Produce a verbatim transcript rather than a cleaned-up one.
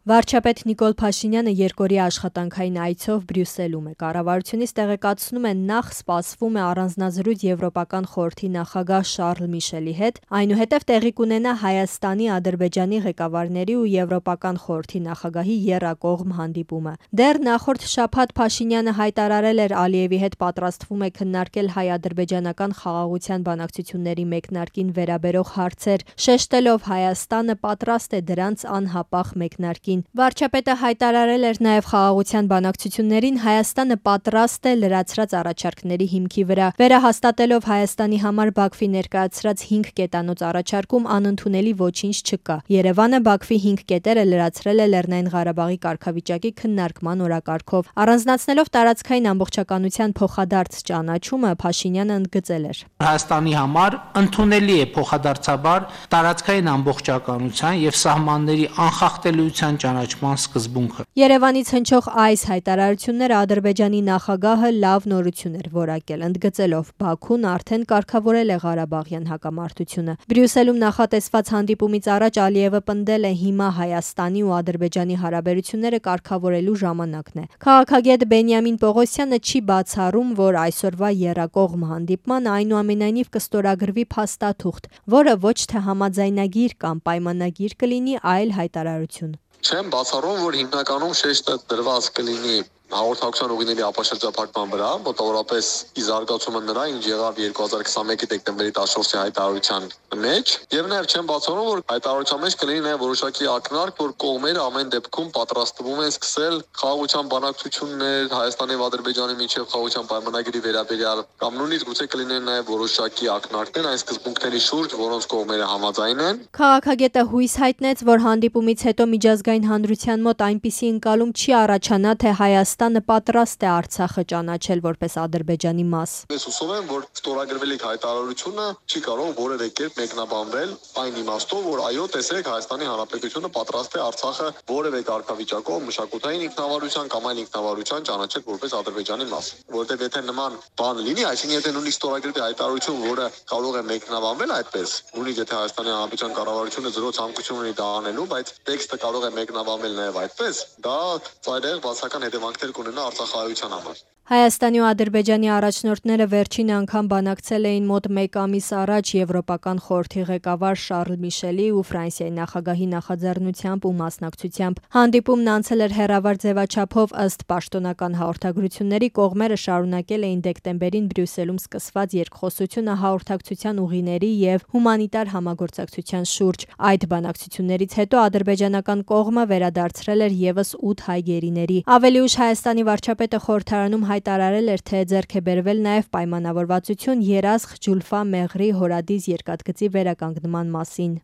Վարչապետ Նիկոլ Փաշինյանը երկօրյա աշխատանքային այցով Բրյուսելում է։ Կառավարությունից տեղեկացնում են, նախ սպասվում է առանձնազրույց Եվրոպական խորհրդի նախագահ Շարլ Միշելի հետ, այնուհետև տեղի կունենա Հայաստանի, Ադրբեջանի ղեկավարների ու Եվրոպական խորհրդի նախագահի եռակողմ հանդիպումը։ Դեռ նախորդ շաբաթ Փաշինյանը հայտարարել էր Ալիևի հետ պատրաստվում է քննարկել հայ-ադրբեջանական խաղաղության բանակցությունների մեկնարկին վերաբերող հարցեր, շեշտելով Հայաստանը պատրաստ է դրանց անհապաղ մեկնարկին։ Վարչապետը հայտարարել էր նաև խաղաղության բանակցություններին Հայաստանը պատրաստ է լրացրած առաջարկների հիմքի վրա, վերահաստատելով Հայաստանի համար Բաքվի ներկայացրած հինգ կետանոց առաջարկում անընդունելի ոչինչ չկա։ Երևանը Բաքվի հինգ կետերը լրացրել է Լեռնային Ղարաբաղի կարգավիճակի քննարկման օրակարգով։ Առանձնացնելով տարածքային ամբողջականության փոխադարձ ճանաչումը, Փաշինյանը ընդգծել էր. Հայաստանի համար ընդունելի է փոխադարձաբար տարածքային ամբողջականության եւ սահմանների անխախտելիության ճանաչման սկզբունքը։ Երևանից հնչող այս հայտարարությունները Ադրբեջանի նախագահը լավ նորություն էր որակել, ընդգծելով Բաքուն արդեն կարգավորել է Ղարաբաղյան հակամարտությունը։ Բրյուսելում նախատեսված հանդիպումից առաջ Ալիևը պնդել է հիմա Հայաստանի ու Ադրբեջանի հարաբերությունները կարգավորելու ժամանակն է։ Քաղաքագետ Բենյամին Պողոսյանը չի բացառում, որ այսօրվա եռակողմ հանդիպման այնուամենայնիվ կստորագրվի փաստաթուղթ, որը ոչ թե համաձայնագիր կամ պայմանագիր կլինի, այլ հայտարարություն։ Չեմ բացառում, որ հիմնականում շեշտը դրված կլինի հաղորդակցության ուղիների ապաշրջափակման վրա, մոտավորապես ի զարգացումը նրա, ինչ եղավ երկու հազար քսաներկու դեկտեմբերի տասնչորսի հայտարարության մեջ, եւ նաեւ չեմ բացառում, որ հայտարարության մեջ կլինի նաեւ որոշակի ակնարկ, որ կողմերը ամեն դեպքում պատրաստվում են սկսել խաղաղության բանակցություններ Հայաստանի եւ Ադրբեջանի միջև խաղաղության պայմանագրի վերաբերյալ, կամ նույնիսկ գուցե կլինեն նաեւ որոշակի ակնարկներ այն սկզբունքների շուրջ, որոնց կողմերը համաձայն են։ Քաղաքագետը հույս հայտնեց, որ հանդիպումից հետո միջազգային հանրության մոտ այնպիսի ընկալում չի առաջանա, թե Հայաստանը պատրաստ է Արցախը ճանաչել որպես Ադրբեջանի մաս։ Ես հուսով եմ, որ ստորագրվելիք հայտարարությունը չի կարող որևէ կերպ մեկնաբանվել այն իմաստով, որ այո, տեսեք, Հայաստանի Հանրապետությունը պատրաստ է Արցախը որևէ կարգավիճակով մշակութային ինքնավարության կամ այլ ինքնավարության ճանաչել որպես Ադրբեջանի մաս։ Որտեղ եթե նման բան լինի, այսինքն եթե նույնիսկ ստորագրվի հայտարարություն, որը կարող է մեկնաբանվել այդպես, նույնիսկ եթե Հայաստանի Հանրապետության կառավարությունը զրո ցանկություն ունի դա անելու, բայց տեքստը կարող է մեկնաբանվել նաև այդպես, դա ծայրահեղ բացական հետևանքներ կունենա Արցախահայության համար։ Հայաստանի ու Ադրբեջանի առաջնորդները վերջին անգամ բանակցել էին մոտ մեկ ամիս առաջ Եվրոպական խորհրդի ղեկավար Շարլ Միշելի ու Ֆրանսիայի նախագահի նախաձեռնությամբ ու մասնակցությամբ։ Հանդիպումն անցել էր հեռավար ձևաչափով, ըստ պաշտոնական հաղորդագրությունների կողմերը շարունակել էին դեկտեմբերին Բրյուսելում սկսված երկխոսությունը հաղորդակցության ուղիների եւ հումանիտար համագործակցության շուրջ։ Այդ բանակցություններից հետո ադրբեջանական կողմը վերադարձրել էր եւս ութ հայ գերիների։ Ավելի ուշ Հայաստանի վարչապետը խորհրդարանում հայտարարել էր, թե ձեռք է բերվել նաև պայմանավորվածություն Երասխ Ջուլֆա Մեղրի հորադիս երկաթգծի վերականգնման մասին։